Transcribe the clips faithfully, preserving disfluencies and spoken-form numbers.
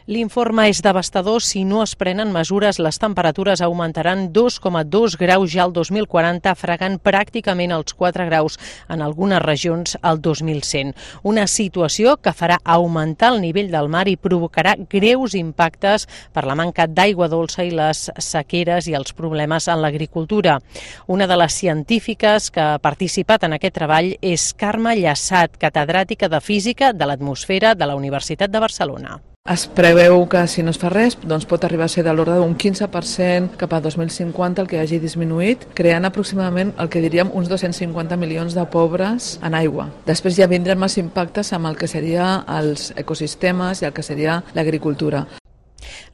L'informe és devastador. Si no es prenen mesures, les temperatures augmentaran dos coma dos graus ja el dos mil quaranta, fregant pràcticament els quatre graus en algunes regions al dos mil cent. Una situació que farà augmentar el nivell del mar i provocarà greus impactes per la manca d'aigua dolça i les sequeres i els problemes en l'agricultura. Una de les científiques que ha participat en aquest treball és Carme Llassat, catedràtica de Física de l'Atmosfera de la Universitat de Barcelona. Es preveu que si no es fa res doncs pot arribar a ser de l'ordre d'un quinze per cent cap a dos mil cinquanta el que hagi disminuït, creant aproximadament el que diríem uns dos-cents cinquanta milions de pobres en aigua. Després ja vindran més impactes amb el que seria els ecosistemes i el que seria l'agricultura.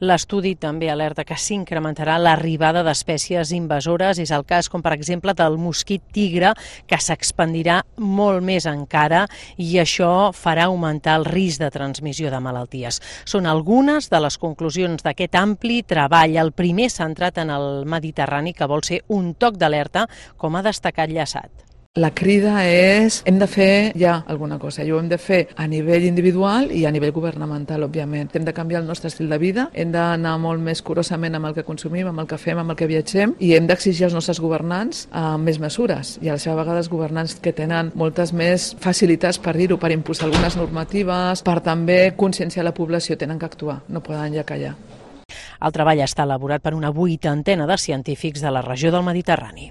L'estudi també alerta que s'incrementarà l'arribada d'espècies invasores. És el cas, com per exemple, del mosquit tigre, que s'expandirà molt més encara i això farà augmentar el risc de transmissió de malalties. Són algunes de les conclusions d'aquest ampli treball, el primer centrat en el Mediterrani, que vol ser un toc d'alerta, com ha destacat Llassat. La crida és, hem de fer ja alguna cosa, i ho hem de fer a nivell individual i a nivell governamental, òbviament. Hem de canviar el nostre estil de vida, hem d'anar molt més curosament amb el que consumim, amb el que fem, amb el que viatgem, i hem d'exigir als nostres governants eh, més mesures. I a la seva vegada els governants que tenen moltes més facilitats per dir-ho, per impulsar algunes normatives, per també conscienciar la població, tenen que actuar, no poden ja callar. El treball està elaborat per una vuitantena de científics de la regió del Mediterrani.